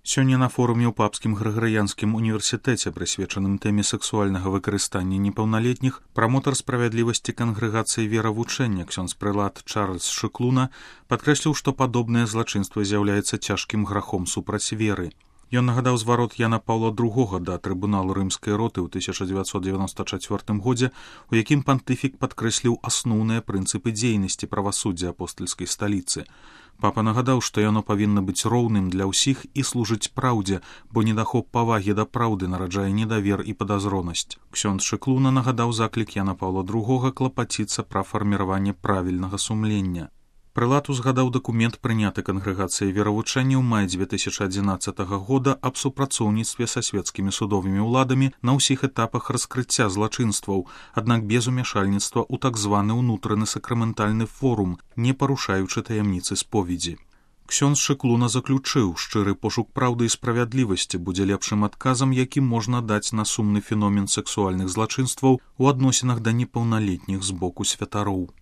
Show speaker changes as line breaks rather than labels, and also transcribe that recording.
Сёння на форуме ў Папскім Грыгарыянскім універсітэце, прысвечаным тэме сексуальнага выкарыстання непаўналетніх, прамотар справядлівасці кангрэгацыі веравучэння ксёндз-прэлат Чарльз Шыклуна падкрэсліў, што падобнае злачынства з'яўляецца цяжкім грахом супраць веры. Ён нагадаў зварот Яна Паўла II да трыбуналу рымскай роты ў 1994 годзе, у якім пантыфік падкрэсліў асноўныя прынцыпы дзейнасці правасуддзя апостальскай сталіцы. Папа нагадаў, што яно павінна быць роўным для ўсіх і служыць праўдзе, бо недахоп павагі да праўды нараджае недавер і падазронасць. Ксёндз Шыклуна нагадаў заклік Яна Паўла II клапаціцца пра фарміраванне правільнага сумлення. Прэлат узгадаў дакумент, прыняты кангрэгацыяй веравучэння ў маі 2011 года аб супрацоўніцтве са свецкімі судовымі ўладамі на ўсіх этапах раскрыцця злачынстваў, аднак без умяшальніцтва ў так званы ўнутраны сакраментальны форум, не парушаючы таямніцы споведзі. Ксёндз Шыклуна заключыў, шчыры пошук праўды і справядлівасці будзе лепшым адказам, які можна даць на сумны феномен сексуальных злачынстваў у адносінах да непаўналетніх з боку святароў.